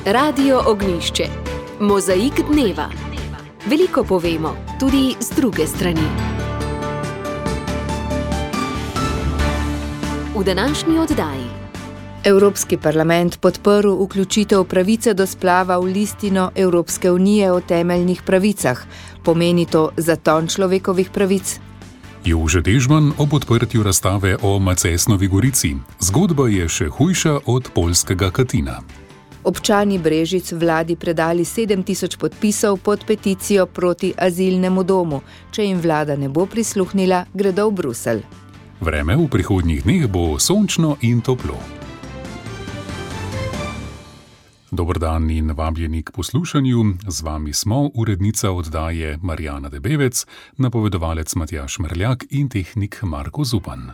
Radio Ognjišče. Mozaik dneva. Veliko povemo, tudi z druge strani. V današnji oddaji. Evropski parlament podprl vključitev pravice do splava v listino Evropske unije o temeljnih pravicah. Pomeni to zaton človekovih pravic? Jože Dežman o odprtju razstave o Macesnovi Gorici. Zgodba je še hujša od poljskega Katina. Občani Brežic vladi predali 7000 podpisov pod peticijo proti azilnemu domu. Če jim vlada ne bo prisluhnila, gredo v Bruselj. Vreme v prihodnjih dneh bo sončno in toplo. Dober dan in vabljeni k poslušanju. Z vami smo urednica oddaje Marjana Debevec, napovedovalec Matjaž Merljak in tehnik Marko Zupan.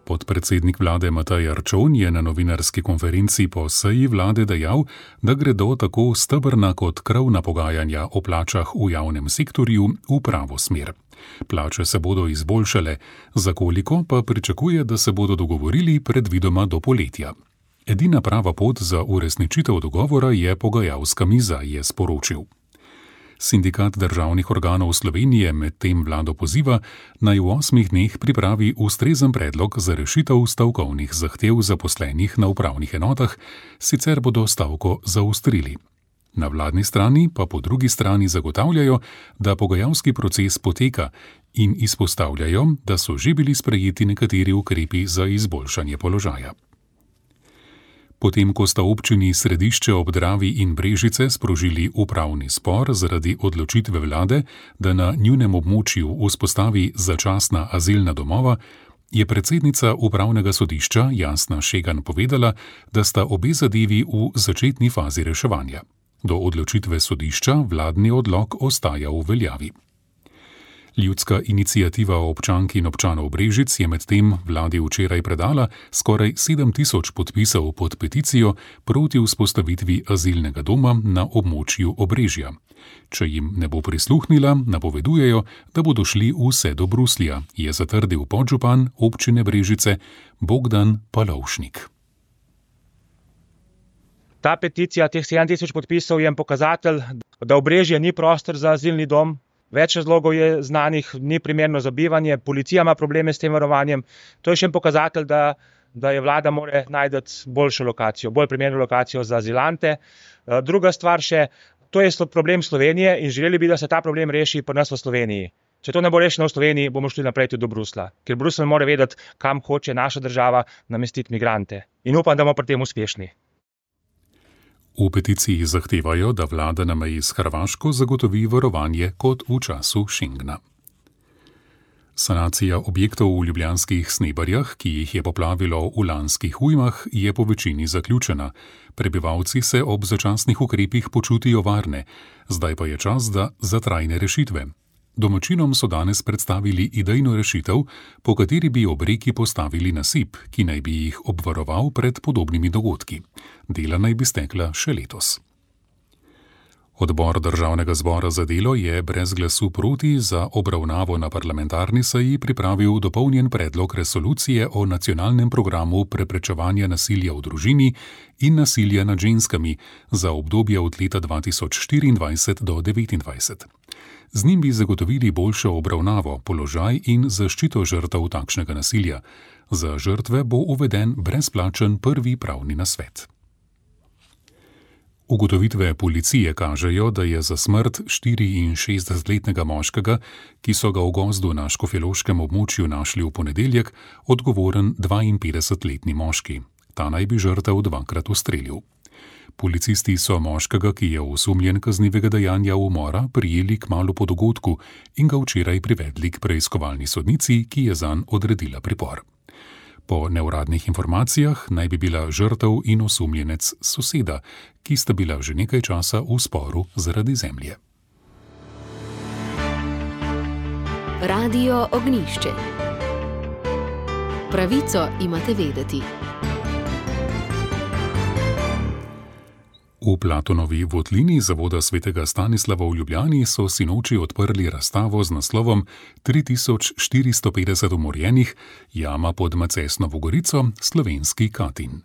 Podpredsednik vlade Matej Arčon je na novinarski konferenci po seji vlade dejal, da gredo tako stebrna kot krovna pogajanja o plačah v javnem sektorju v pravo smer. Plače se bodo izboljšale, za koliko pa pričakuje, da se bodo dogovorili predvidoma do poletja. Edina prava pot za uresničitev dogovora je pogajalska miza, je sporočil. Sindikat državnih organov Slovenije medtem vlado poziva, naj v 8 dneh pripravi ustrezen predlog za rešitev stavkovnih zahtev zaposlenih na upravnih enotah, sicer bodo stavko zaostrili. Na vladni strani pa po drugi strani zagotavljajo, da pogajalski proces poteka in izpostavljajo, da so že bili sprejeti nekateri ukrepi za izboljšanje položaja. Potem, ko sta občini Središče ob Dravi in Brežice sprožili upravni spor zaradi odločitve vlade, da na njunem območju vzpostavi začasna azilna domova, je predsednica upravnega sodišča Jasna Šegan povedala, da sta obe zadevi v začetni fazi reševanja. Do odločitve sodišča vladni odlok ostaja v veljavi. Ljudska iniciativa občank in občanov Brežic je medtem vladi včeraj predala skoraj 7000 podpisov pod peticijo proti vzpostavitvi azilnega doma na območju Obrežja. Če jim ne bo prisluhnila, napovedujejo, da bodo šli vse do Bruslja, je zatrdil podžupan občine Brežice Bogdan Palovšnik. Ta peticija, teh 7000 podpisov, je pokazatelj, da Obrežje ni prostor za azilni dom. Več razlogov je znanih, ni primerno za bivanje, policija ima probleme s tem varovanjem. To je še en pokazatelj, da je vlada mora najti boljšo lokacijo, bolj primerno lokacijo za azilante. Druga stvar še, to je problem Slovenije in želeli bi, da se ta problem reši pri nas v Sloveniji. Če to ne bo rešeno v Sloveniji, bomo šli naprej tudi do Bruslja, ker Bruselj mora vedeti, kam hoče naša država namestiti migrante. In upam, da bomo pri tem uspešni. V peticiji zahtevajo, da vlada na meji s Hrvaško zagotovi varovanje kot v času Schengena. Sanacija objektov v ljubljanskih Snebarjah, ki jih je poplavilo v lanskih ujmah, je po večini zaključena. Prebivalci se ob začasnih ukrepih počutijo varne, zdaj pa je čas za trajne rešitve. Domačinom so danes predstavili idejno rešitev, po kateri bi ob reki postavili nasip, ki naj bi jih obvaroval pred podobnimi dogodki. Dela naj bi stekla še letos. Odbor Državnega zbora za delo je brez glasu proti za obravnavo na parlamentarni seji pripravil dopolnjen predlog resolucije o nacionalnem programu preprečevanja nasilja v družini in nasilja nad ženskami za obdobje od leta 2024 do 2029. Z njim bi zagotovili boljšo obravnavo, položaj in zaščito žrtev takšnega nasilja. Za žrtve bo uveden brezplačen prvi pravni nasvet. Ugotovitve policije kažejo, da je za smrt 64-letnega moškega, ki so ga v gozdu na škofjeloškem območju našli v ponedeljek, odgovoren 52-letni moški. Ta naj bi žrtev 2-krat ustrelil. Policisti so moškega, ki je osumljen kaznivega dejanja umora, prijeli kmalu po dogodku in ga včeraj privedli k preiskovalni sodnici, ki je zanj odredila pripor. Po neuradnih informacijah naj bi bila žrtev in osumljenec soseda, ki sta bila že nekaj časa v sporu zaradi zemlje. Radio Ognjišče. Pravico imate vedeti. V Platonovi votlini zavoda svetega Stanislava v Ljubljani so sinoči odprli razstavo z naslovom 3450 umorjenih, jama pod Macesnovo gorico, slovenski Katin.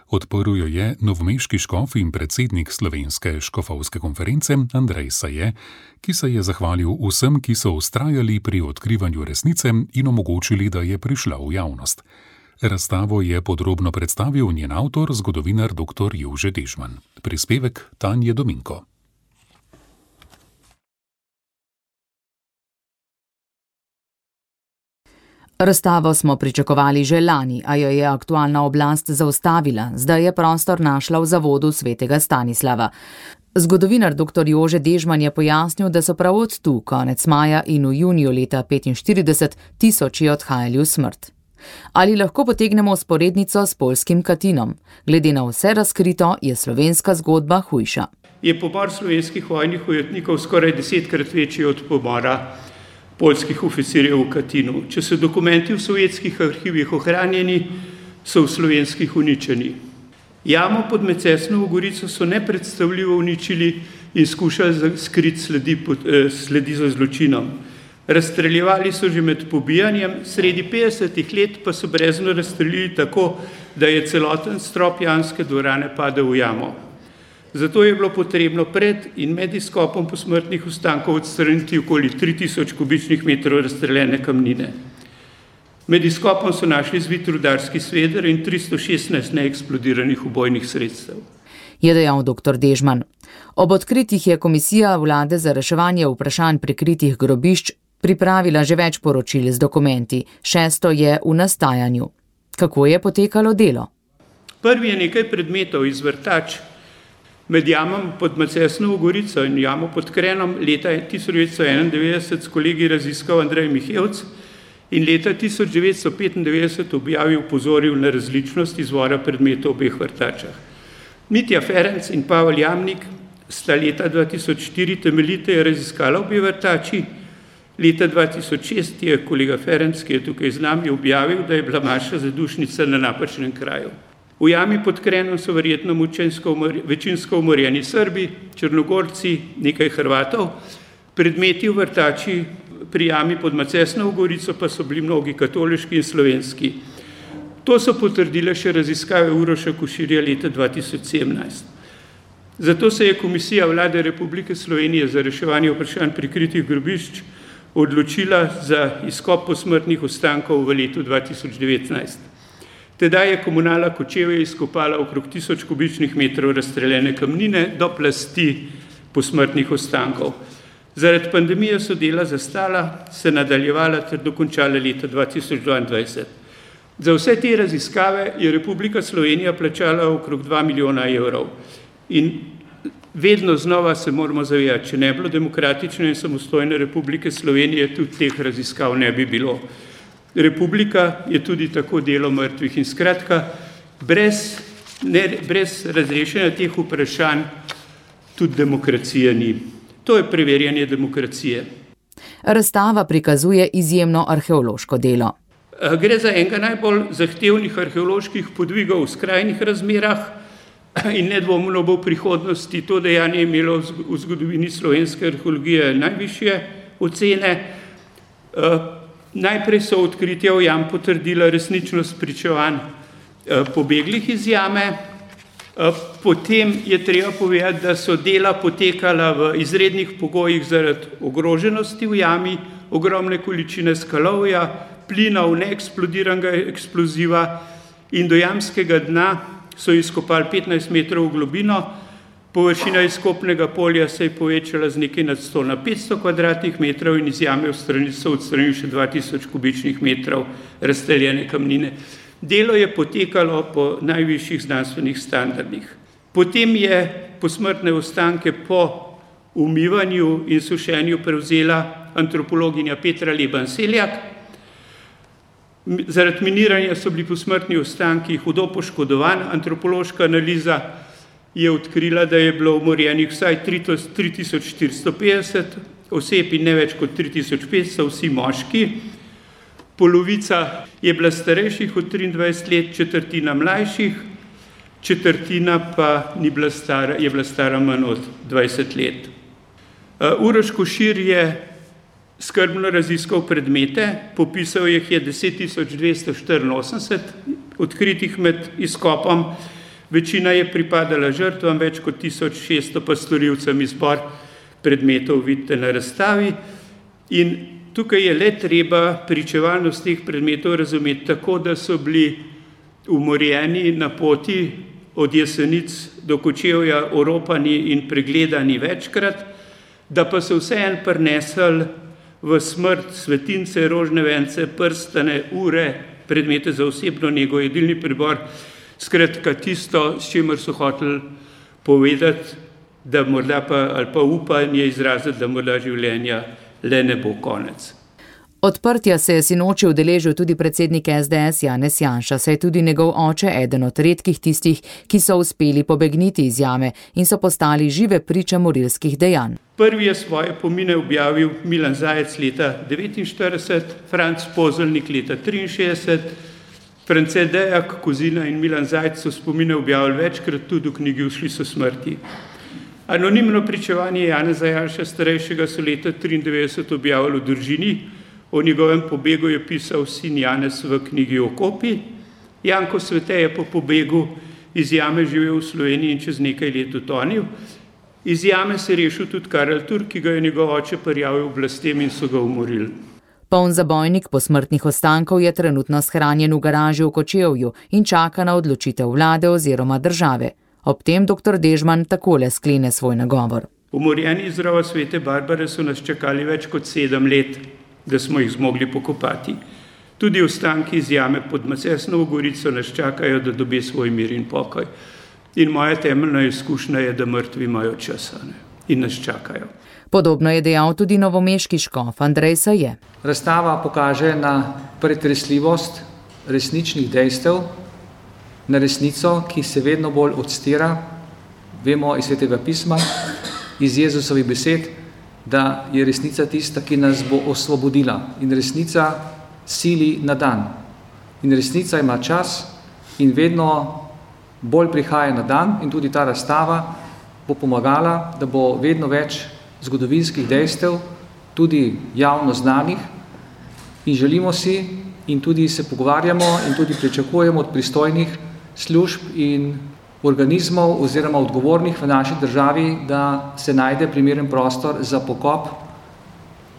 Odprl jo je novomeški škof in predsednik Slovenske škofovske konference Andrej Saje, ki se je zahvalil vsem, ki so vztrajali pri odkrivanju resnice in omogočili, da je prišla v javnost. Razstavo je podrobno predstavil njen avtor, zgodovinar dr. Jože Dežman. Prispevek Tanje Dominko. Razstavo smo pričakovali že lani, a jo je aktualna oblast zaustavila. Zdaj je prostor našla v zavodu svetega Stanislava. Zgodovinar dr. Jože Dežman je pojasnil, da so prav od tu, konec maja in v juniju leta 1945, tisoči odhajali v smrt. Ali lahko potegnemo vzporednico s poljskim Katinom? Glede na vse razkrito, je slovenska zgodba hujša. Je pomor slovenskih vojnih ujetnikov skoraj 10-krat večji od pomora poljskih oficirjev v Katinu. Če so dokumenti v sovjetskih arhivih ohranjeni, so v slovenskih uničeni. Jamo pod Macesnovo gorico so nepredstavljivo uničili in skušali skriti sledi za zločinom. Razstreljevali so že med pobijanjem, sredi 50-ih let pa so brezno razstreljili tako, da je celoten strop janske dvorane padel v jamo. Zato je bilo potrebno pred in med izkopom posmrtnih ostankov odstraniti okoli 3000 kubičnih metrov razstreljene kamnine. Med izkopom so našli zvit rudarski sveder in 316 neeksplodiranih ubojnih sredstev. Je dejal dr. Dežman. Ob odkritjih je Komisija vlade za reševanje vprašanj prikritih grobišč pripravila že več poročil z dokumenti. 6. je v nastajanju. Kako je potekalo delo? Prvi je nekaj predmetov iz vrtač med jamom pod Macesnovo gorico in jamo pod Krenom leta 1991 s kolegi raziskal Andrej Mihevc in leta 1995 objavil opozoril na različnost izvora predmetov v obeh vrtačah. Mitja Ferenc in Pavel Jamnik sta leta 2004 temeljiteje raziskala obe vrtači. Leta 2006 je kolega Ferenc, ki je tukaj z nami, objavil, da je bila maša zadušnica na napačnem kraju. V jami pod Krenom so verjetno večinsko umorjeni Srbi, Črnogorci, nekaj Hrvatov. Predmeti v vrtači pri jami pod Macesnovo gorico pa so bili mnogi katoliški in slovenski. To so potrdile še raziskave Uroša Koširja leta 2017. Zato se je Komisija vlade Republike Slovenije za reševanje vprašanj prikritih grobišč odločila za izkop posmrtnih ostankov v letu 2019. Tedaj je Komunala Kočevje izkopala okrog 1000 kubičnih metrov razstreljene kamnine do plasti posmrtnih ostankov. Zaradi pandemije so dela zastala, se nadaljevala ter dokončala leta 2022. Za vse te raziskave je Republika Slovenija plačala okrog 2 milijona evrov. In vedno znova se moramo zavedati, če ne bilo demokratične in samostojne Republike Slovenije, tudi teh raziskav ne bi bilo. Republika je tudi tako delo mrtvih in skratka, brez razrešenja teh vprašanj tudi demokracije ni. To je preverjanje demokracije. Razstava prikazuje izjemno arheološko delo. Gre za enega najbolj zahtevnih arheoloških podvigov v skrajnih razmerah in nedvomno bo v prihodnosti to dejanje imelo v zgodovini slovenske arheologije najvišje ocene. Najprej so odkritja v jam potrdila resničnost pričevanj pobeglih iz jame, potem je treba povedati, da so dela potekala v izrednih pogojih zaradi ogroženosti v jami, ogromne količine skalovja, plinov, neeksplodiranega eksploziva in do jamskega dna so izkopali 15 metrov v globino, površina izkopnega polja se je povečala z nekaj nad 100 na 500 kvadratnih metrov in iz jame so odstranili še 2000 kubičnih metrov razstreljene kamnine. Delo je potekalo po najvišjih znanstvenih standardih. Potem je posmrtne ostanke po umivanju in sušenju prevzela antropologinja Petra Leban-Seljak. Zaradi miniranja so bili posmrtni ostanki hudo poškodovani. Antropološka analiza je odkrila, da je bilo umorjenih vsaj 3450 oseb in ne več kot 3500, vsi moški. Polovica je bila starejših od 23 let, četrtina mlajših. četrtina pa je bila stara manj od 20 let. Uroš Košir je skrbno raziskal predmete, popisal jih je 10.284, odkritih med izkopom, večina je pripadala žrtvam, več kot 1600 pa storilcem. Izbor predmetov vidite na razstavi in tukaj je le treba pričevalnost teh predmetov razumeti tako, da so bili umorjeni na poti od Jesenic do Kočevja, oropani in pregledani večkrat, da pa so vseeno prinesli v smrt svetince, rožne vence, prstane, ure, predmete za osebno nego, jedilni pribor, skratka tisto, s čimer so hoteli povedati, da morda ali pa upanje izraziti, da morda življenja le ne bo konec. Odprtja se je sinoči udeležil tudi predsednik SDS Janez Janša, saj je tudi njegov oče eden od redkih tistih, ki so uspeli pobegniti iz jame in so postali žive priče morilskih dejanj. Prvi je svoje pomine objavil Milan Zajec leta 1949, Franc Pozelnik leta 1963, France Dejak, Kozina in Milan Zajec so spomine objavili večkrat, tudi v knjigi Ušli so smrti. Anonimno pričevanje Janeza Janše starejšega so leta 1993 objavili v družini. O njegovem pobegu je pisal sin Janez v knjigi Okopi. Janko Svete je po pobegu iz jame živel v Sloveniji in čez nekaj let utonil. Iz jame se je rešil tudi Karel Turk, ki ga je njegov oče prijavil oblastem in so ga umorili. Poln zabojnik posmrtnih ostankov je trenutno shranjen v garaži v Kočevju in čaka na odločitev vlade oziroma države. Ob tem dr. Dežman takole sklene svoj nagovor. Umorjeni iz rova Svete Barbare so nas čakali več kot 7 let, da smo jih zmogli pokopati. Tudi ostanki iz jame pod Macesnovo Gorico nas čakajo, da dobi svoj mir in pokoj. In moja temeljna izkušnja je, da mrtvi imajo časa in nas čakajo. Podobno je dejal tudi novomeški škof Andrej Saje. Razstava pokaže na pretresljivost resničnih dejstev, na resnico, ki se vedno bolj odstira, vemo iz Svetega pisma, iz Jezusovih besed, da je resnica tista, ki nas bo osvobodila. In resnica sili na dan. In resnica ima čas in vedno bolj prihaja na dan in tudi ta razstava bo pomagala, da bo vedno več zgodovinskih dejstev, tudi javno znanih in želimo si in tudi se pogovarjamo in tudi pričakujemo od pristojnih služb in organizmov oziroma odgovornih v naši državi, da se najde primeren prostor za pokop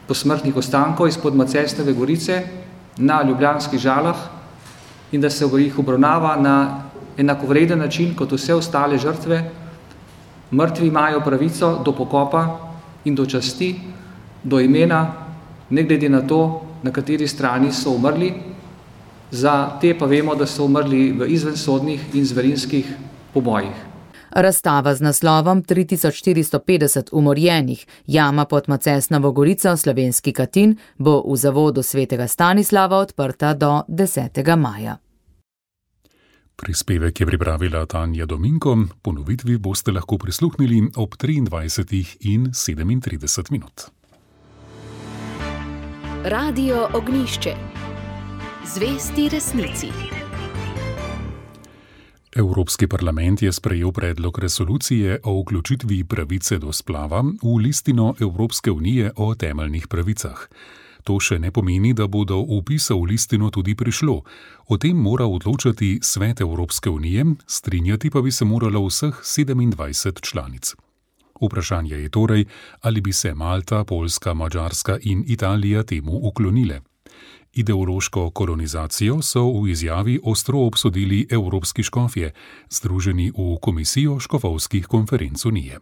posmrtnih ostankov izpod Macesnove Gorice na ljubljanskih Žalah in da se jih obravnava na enakovreden način kot vse ostale žrtve. Mrtvi imajo pravico do pokopa in do časti, do imena, ne glede na to, na kateri strani so umrli. Za te pa vemo, da so umrli v izvensodnih in zverinskih pobojih. Razstava z naslovom 3450 umorjenih, jama pod Macesnovo Gorico, Slovenski Katin, bo v zavodu Svetega Stanislava odprta do 10. maja. Prispevek je pripravila Tanja Dominko, ponovitvi boste lahko prisluhnili ob 23:37. Radio Ognjišče. Zvesti resnici. Evropski parlament je sprejel predlog resolucije o vključitvi pravice do splava v listino Evropske unije o temeljnih pravicah. To še ne pomeni, da bo do vpisa v listino tudi prišlo. O tem mora odločati Svet Evropske unije, strinjati pa bi se moralo vseh 27 članic. Vprašanje je torej, ali bi se Malta, Poljska, Madžarska in Italija temu uklonile. Ideološko kolonizacijo so v izjavi ostro obsodili evropski škofje, združeni v Komisijo škofovskih konferenc Unije.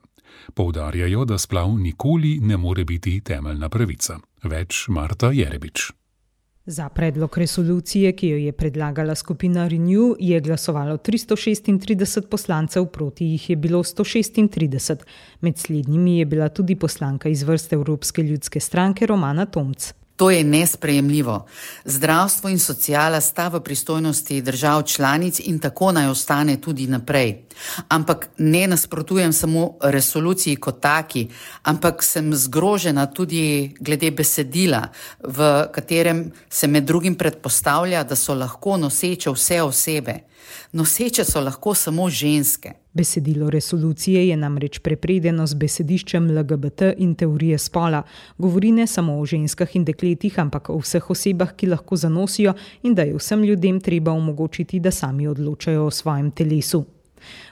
Poudarjajo, da splav nikoli ne more biti temeljna pravica. Več Marta Jerebič. Za predlog resolucije, ki jo je predlagala skupina Renew, je glasovalo 336 poslancev, proti jih je bilo 136. Med slednjimi je bila tudi poslanka iz vrst Evropske ljudske stranke Romana Tomc. To je nesprejemljivo. Zdravstvo in sociala sta v pristojnosti držav članic in tako naj ostane tudi naprej. Ampak ne nasprotujem samo resoluciji kot taki, ampak sem zgrožena tudi glede besedila, v katerem se med drugim predpostavlja, da so lahko noseče vse osebe. Noseče so lahko samo ženske. Besedilo resolucije je namreč prepredeno z besediščem LGBT in teorije spola. Govori ne samo o ženskah in dekletih, ampak o vseh osebah, ki lahko zanosijo in da je vsem ljudem treba omogočiti, da sami odločajo o svojem telesu.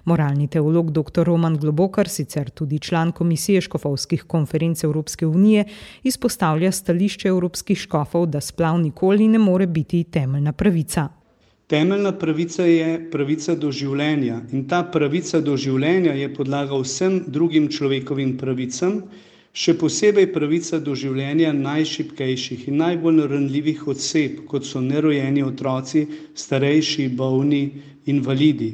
Moralni teolog dr. Roman Globokar, sicer tudi član Komisije škofovskih konferenc Evropske unije, izpostavlja stališče evropskih škofov, da splav nikoli ne more biti temeljna pravica. Temeljna pravica je pravica do življenja in ta pravica do življenja je podlaga vsem drugim človekovim pravicam, še posebej pravica do življenja najšibkejših in najbolj ranljivih oseb, kot so nerojeni otroci, starejši, bolni, invalidi.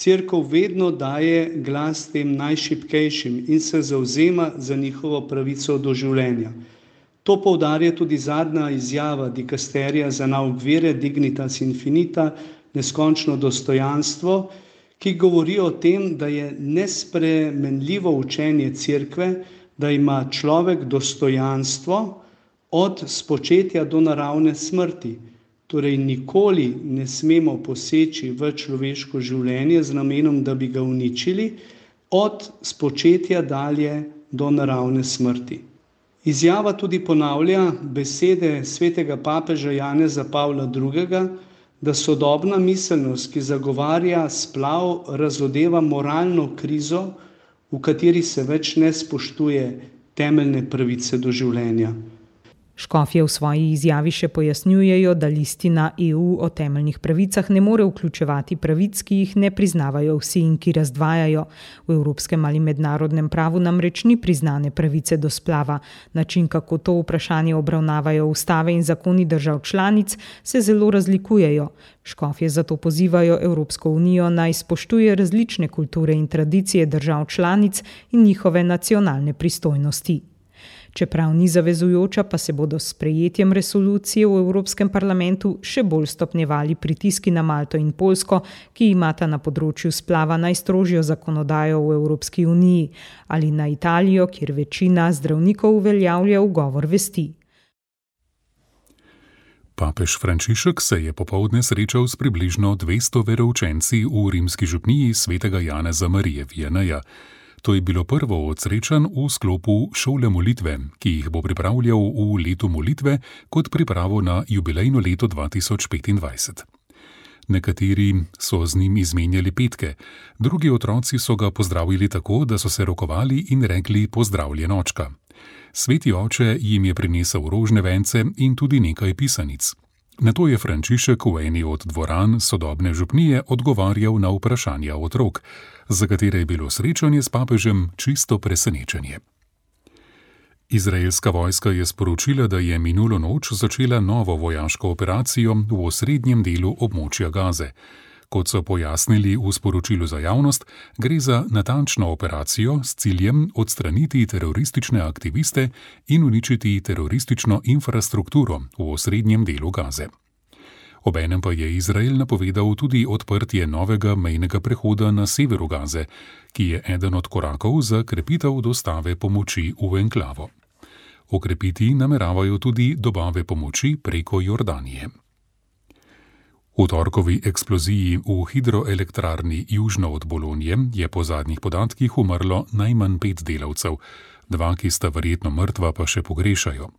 Cerkev vedno daje glas tem najšibkejšim in se zavzema za njihovo pravico do življenja. To poudarja tudi zadnja izjava dikasterija za nauk vere Dignitas Infinita, neskončno dostojanstvo, ki govori o tem, da je nespremenljivo učenje cerkve, da ima človek dostojanstvo od spočetja do naravne smrti. Torej nikoli ne smemo poseči v človeško življenje z namenom, da bi ga uničili, od spočetja dalje do naravne smrti. Izjava tudi ponavlja besede svetega papeža Janeza Pavla II., da sodobna miselnost, ki zagovarja splav, razodeva moralno krizo, v kateri se več ne spoštuje temeljne pravice do življenja. Škofje v svoji izjavi še pojasnjujejo, da listina EU o temeljnih pravicah ne more vključevati pravic, ki jih ne priznavajo vsi in ki razdvajajo. V evropskem ali mednarodnem pravu namreč ni priznane pravice do splava. Način, kako to vprašanje obravnavajo ustave in zakoni držav članic, se zelo razlikujejo. Škofje zato pozivajo Evropsko unijo naj spoštuje različne kulture in tradicije držav članic in njihove nacionalne pristojnosti. Čeprav ni zavezujoča, pa se bodo s sprejetjem resolucije v Evropskem parlamentu še bolj stopnjevali pritiski na Malto in Poljsko, ki imata na področju splava najstrožjo zakonodajo v Evropski uniji, ali na Italijo, kjer večina zdravnikov uveljavlja ugovor vesti. Papež Frančišek se je popoldne srečal s približno 200 veroučenci v rimski župniji svetega Janeza Marije Vianneyja. To je bilo prvo od srečanj v sklopu šole molitve, ki jih bo pripravljal v letu molitve kot pripravo na jubilejno leto 2025. Nekateri so z njim izmenjali petke, drugi otroci so ga pozdravili tako, da so se rokovali in rekli pozdravljen očka. Sveti oče jim je prinesel rožne vence in tudi nekaj pisanic. Nato je Frančišek v eni od dvoran sodobne župnije odgovarjal na vprašanja otrok, za katere je bilo srečanje s papežem čisto presenečenje. Izraelska vojska je sporočila, da je minulo noč začela novo vojaško operacijo v osrednjem delu območja Gaze. Kot so pojasnili v sporočilu za javnost, gre za natančno operacijo s ciljem odstraniti teroristične aktiviste in uničiti teroristično infrastrukturo v osrednjem delu Gaze. Obenem pa je Izrael napovedal tudi odprtje novega mejnega prehoda na severu Gaze, ki je eden od korakov za krepitev dostave pomoči v enklavo. Okrepiti nameravajo tudi dobave pomoči preko Jordanije. V torkovi eksploziji v hidroelektrarni južno od Bolonje je po zadnjih podatkih umrlo najmanj 5 delavcev, 2, ki sta verjetno mrtva, pa še pogrešajo.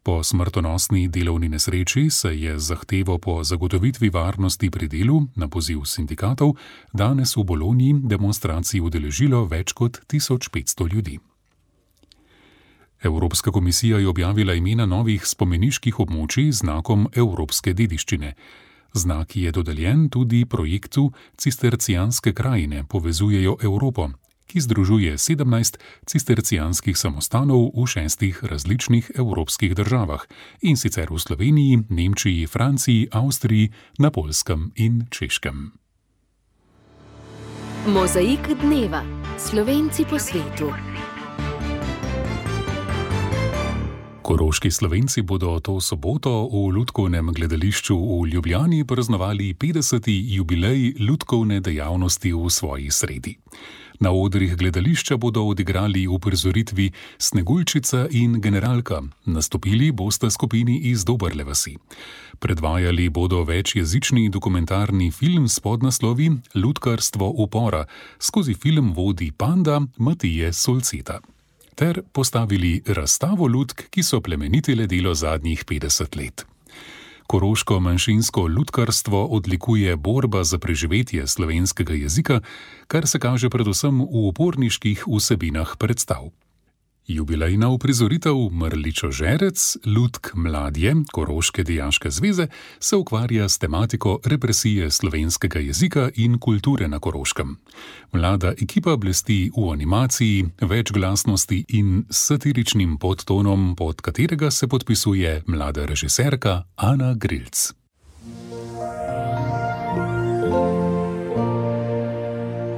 Po smrtonosni delovni nesreči se je zahtevo po zagotovitvi varnosti pri delu na poziv sindikatov danes v Bolonji demonstraciji udeležilo več kot 1500 ljudi. Evropska komisija je objavila imena novih spomeniških območij z znakom evropske dediščine. Znak je dodeljen tudi projektu Cistercijanske krajine povezujejo Evropo, ki združuje 17 cistercijanskih samostanov v 6 različnih evropskih državah, in sicer v Sloveniji, Nemčiji, Franciji, Avstriji, na Poljskem in Češkem. Mozaik dneva. Slovenci po svetu. Koroški Slovenci bodo to soboto v Lutkovnem gledališču v Ljubljani praznovali 50. jubilej lutkovne dejavnosti v svoji sredi. Na odrih gledališča bodo odigrali uprizoritvi Sneguljčica in Generalka, nastopili bosta skupini iz Doberle vasi. Predvajali bodo večjezični dokumentarni film s podnaslovi Lutkarstvo upora, skozi film vodi Panda Matije Solceta. Ter postavili razstavo lutk, ki so plemenitile delo zadnjih 50 let. Koroško manjšinsko lutkarstvo odlikuje borba za preživetje slovenskega jezika, kar se kaže predvsem v uporniških vsebinah predstav. Jubilejna uprizoritev Mrličo Žerec, Lutk Mladje, Koroške dijaške zveze, se ukvarja s tematiko represije slovenskega jezika in kulture na Koroškem. Mlada ekipa blesti v animaciji, večglasnosti in satiričnim podtonom, pod katerega se podpisuje mlada režiserka Ana Grilc.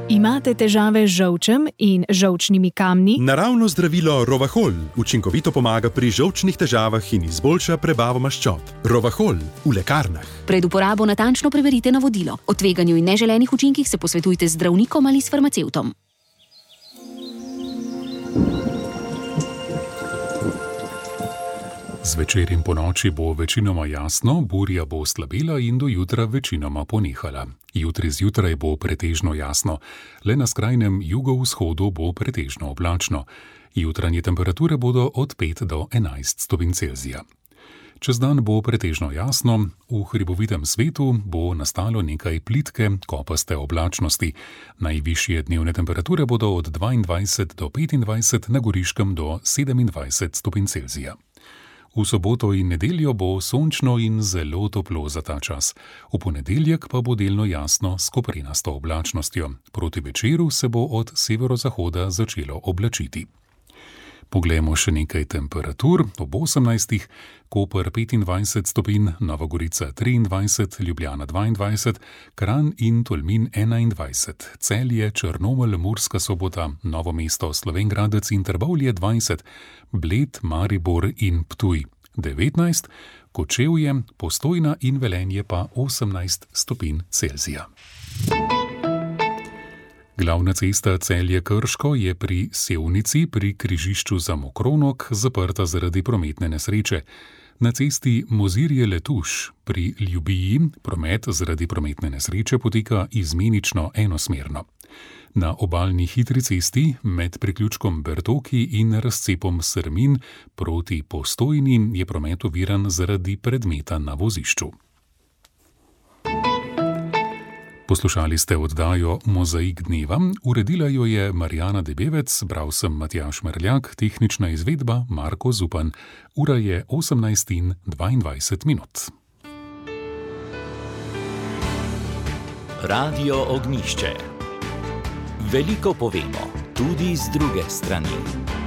Imate težave z žolčem in žolčnimi kamni? Naravno zdravilo Rovahol učinkovito pomaga pri žolčnih težavah in izboljša prebavo maščob. Rovahol v lekarnah. Pred uporabo natančno preverite navodilo. O tveganju in neželenih učinkih se posvetujte z zdravnikom ali s farmacevtom. Zvečer in ponoči bo večinoma jasno, burja bo slabela in do jutra večinoma ponehala. Jutri zjutraj bo pretežno jasno, le na skrajnem jugovzhodu bo pretežno oblačno. Jutranje temperature bodo od 5 do 11 stopinj Celzija. Čez dan bo pretežno jasno, v hribovitem svetu bo nastalo nekaj plitke, kopaste oblačnosti. Najvišje dnevne temperature bodo od 22 do 25, na Goriškem do 27 stopinj Celzija. V soboto in nedeljo bo sončno in zelo toplo za ta čas. V ponedeljek pa bo delno jasno s koprenasto oblačnostjo. Proti večeru se bo od severozahoda začelo oblačiti. Poglejmo še nekaj temperatur. Ob 18. Koper 25 stopinj, Nova Gorica 23, Ljubljana 22, Kranj in Tolmin 21, Celje, Črnomelj, Murska Sobota, Novo mesto, Slovenj Gradec in Trbovlje 20, Bled, Maribor in Ptuj 19, Kočevje, Postojna in Velenje pa 18 stopinj Celzija. Glavna cesta Celje-Krško je pri Sevnici pri križišču za Mokronog zaprta zaradi prometne nesreče. Na cesti Mozirje-Letuš pri Ljubiji promet zaradi prometne nesreče poteka izmenično enosmerno. Na obalni hitri cesti med priključkom Bertoki in razcepom Srmin proti Postojni je promet oviran zaradi predmeta na vozišču. Poslušali ste oddajo Mozaik dneva, uredila jo je Marjana Debevec, bral sem Matjaž Merljak, tehnična izvedba Marko Zupan. Ura je 18:22. Radio Ognjišče. Veliko povemo, tudi z druge strani.